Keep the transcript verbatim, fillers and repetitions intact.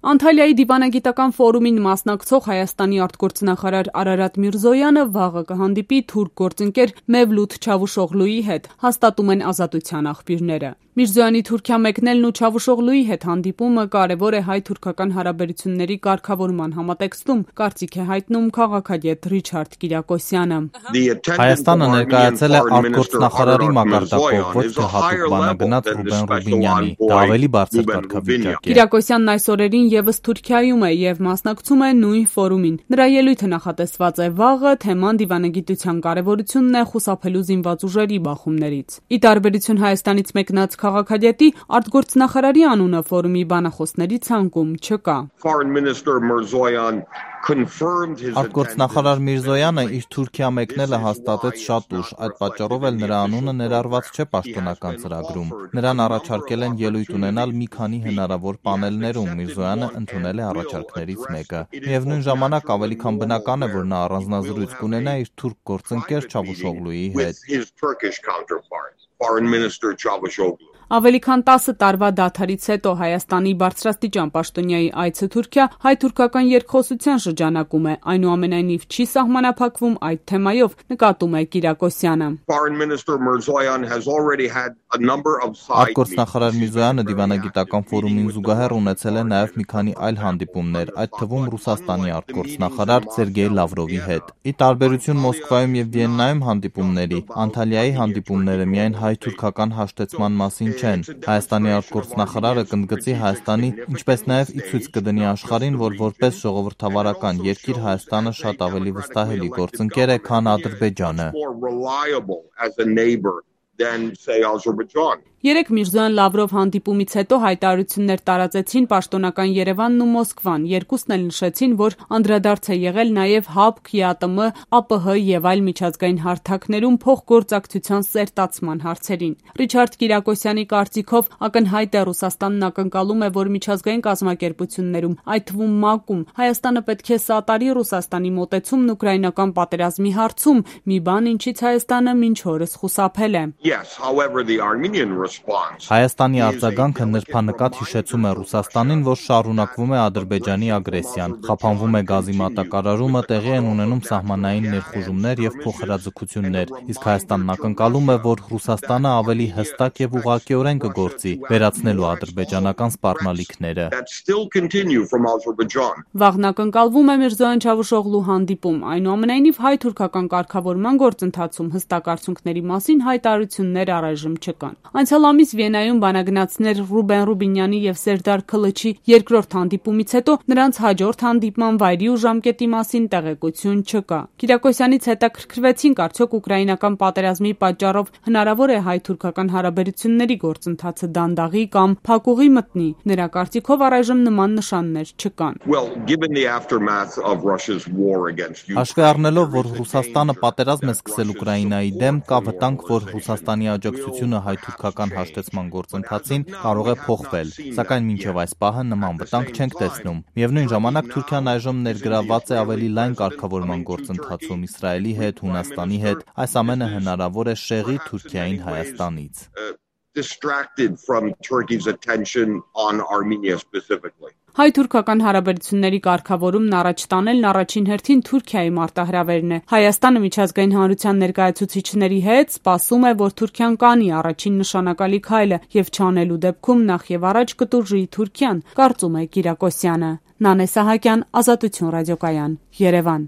Անտալիայի դիվանագիտական ֆորումին մասնակցող Հայաստանի արտգործնախարար Արարատ Միրզոյանը վաղը կհանդիպի թուրք գործընկեր Մևլութ Չավուշօղլուի հետ, հաստատում են Ազատության աղբյուրները։ Միրզոյանի Թուրքիա մեկնելն ու Չավուշօղլուի հետ հանդիպումը կարևոր է հայ-թուրքական հարաբերությունների կարգավորման համատեքստում, կարծիք է հայտնում քաղաքագետ Ռիչարդ Կիրակոսյանը։ Հայաստանը ներկայացել է արտգործնախարարի մակարդակով, ոչ թե հատուկ բանագնաց Ռուբեն Ռուբինյանի, դա ավելի բարձր կարգավիճակ է։ Կիրակոսյանն այս օրերին եւս Թուրքիայում է եւ մասնակցում է նույն ֆորումին։ Նրա ելույթը նախատեսված է վաղը, թեման դիվանագիտության կարևորությունն է խուսափելու զինված ուժերի բախումներից։ Ի տարբերություն Հայաստանից մեկնած քաղաքագետի, արտգործնախարարի անունը ֆորումի բանախոսների ցանկում չկա։ Արտգործնախարար Միրզոյանը իր Թուրքիա մեկնելը հաստատեց շատ ուշ, այդ պատճառով էլ նրա անունը ներառված չէ պաշտոնական ծրագրում։ Նրան առաջարկել են ելույթ ունենալ մի քանի հնարավոր պանելներում, Միրզոյանը ընդունել է առաջարկներից մեկը։ Միևնույն ժամանակ ավելի քան բնական է, որ նա առանձնազրույց կունենա իր թուրք գործընկեր Չավուշօղլուի հետ։ Ավելի քան տասը տարվա դադարից հետո Հայաստանի բարձրաստիճան պաշտոնյայի այցը Թուրքիա հայ-թուրքական երկխոսության շրջանակում է, այնուամենայնիվ չի սահմանափակվում այդ թեմայով, նկատում է Կիրակոսյանը։ Արտգործնախարար Միրզոյանը դիվանագիտական ֆորումին զուգահեռ ունեցել է նաև մի քանի այլ հանդիպումներ, այդ թվում Ռուսաստանի արտգործնախարար Սերգեյ Լավրովի հետ։ Ի տարբերություն Մոսկվայում եւ Վիեննայում հանդիպումների, Անտալիայի հանդիպումները միայն հայ-թուրքական հաշտեցման մասին չեն։ Հայաստանի արտգործնախարարը կընդգծի Հայաստանի, ինչպես նաև ի ցույց կդնի աշխարհին, որ որպես ժողովրդավարական երկիր Հայաստանը շատ ավելի վստահելի գործընկեր է, քան Ադրբեջանը։ Երեկ Միրզոյան-Լավրով հանդիպումից հետո հայտարարություններ տարածեցին պաշտոնական Երևանն ու Մոսկվան, երկուսն էլ նշեցին, որ անդրադարձ է եղել նաև ՀԱՊԿ, ԵԱՏՄ, ԱՊՀ եւ այլ միջազգային հարթակներում փոխգործակցության սերտացման հարցերին։ Ռիչարդ Կիրակոսյանի կարծիքով ակնհայտ է Ռուսաստանն ակնկալում է, որ միջազգային կազմակերպություններում, այդ թվում ՄԱԿ-ում, Հայաստանը պետք է սատարի Ռուսաստանի մոտեցումն ուկրաինական պատերազմի հարցում, մի բան, ինչից Հայաստանը մինչ օրս խուսափել է։ Հայաստանի արձագանքը նրբանկատ հիշեցում է Ռուսաստանին, որ շարունակվում է Ադրբեջանի ագրեսիան, խափանվում է գազի մատակարարումը, տեղի են ունենում սահմանային ներխուժումներ եւ փոխհրաձգություններ, իսկ Հայաստանն ակնկալում է, որ Ռուսաստանը ավելի հստակ եւ ուղղակիորեն կգործի, վերացնելու ադրբեջանական սպառնալիքները։ Վաղն ակնկալվում է Միրզոյան Չավուշօղլու հանդիպում, այնուամենայնիվ հայ-թուրքական կարգավորման գործընթացում հստակ արդյունքների մասին հայտարարություններ առայժմ չկան։ Անցյալ ամիս Վիեննայում բանագնացներ Ռուբեն Ռուբինյանի եւ Սերդար Քլչի երկրորդ հանդիպումից հետո նրանց հաջորդ հանդիպման վայրի ու ժամկետի մասին տեղեկություն չկա։ Կիրակոսյանից հետաքրքրվեցինք, արդյոք ուկրաինական պատերազմի պատճառով հնարավոր է հայ-թուրքական հարաբերությունների գործընթացը դանդաղի կամ փակուղի մտնի։ Նրա կարծիքով առայժմ նման նշաններ չկան։ Հաշվի առնելով, որ Ռուսաստանը պատերազմ է սկսել Ուկրաինայի դեմ, կա վտանգ, որ Ռուսաստանի աջակցությունը հայ-թուրքական հաշտեցման գործընթացին կարող է փոխվել, սակայն մինչև այս պահը նման վտանգ չենք տեսնում։ Միևնույն ժամանակ Թուրքիան այժմ ներգրավված է ավելի լայն կարգավորման գործընթացում Իսրայելի հետ, Հունաստանի հետ, այս ամենը հնարավոր է շեղի Թուրքիային Հայաստանից։ Հայ-թուրքական հարաբերությունների կարգավորումն առաջ տանելն առաջին հերթին Թուրքիայի մարտահրավերն է։ Հայաստանը միջազգային հանրության ներկայացուցիչների հետ սպասում է, որ Թուրքիան կանի առաջին նշանակալի քայլը եւ չանելու դեպքում նախ եւ առաջ կտուժի Թուրքիան, կարծում է Կիրակոսյանը։ Նանե Սահակյան, Ազատություն ռադիոկայան, Երևան։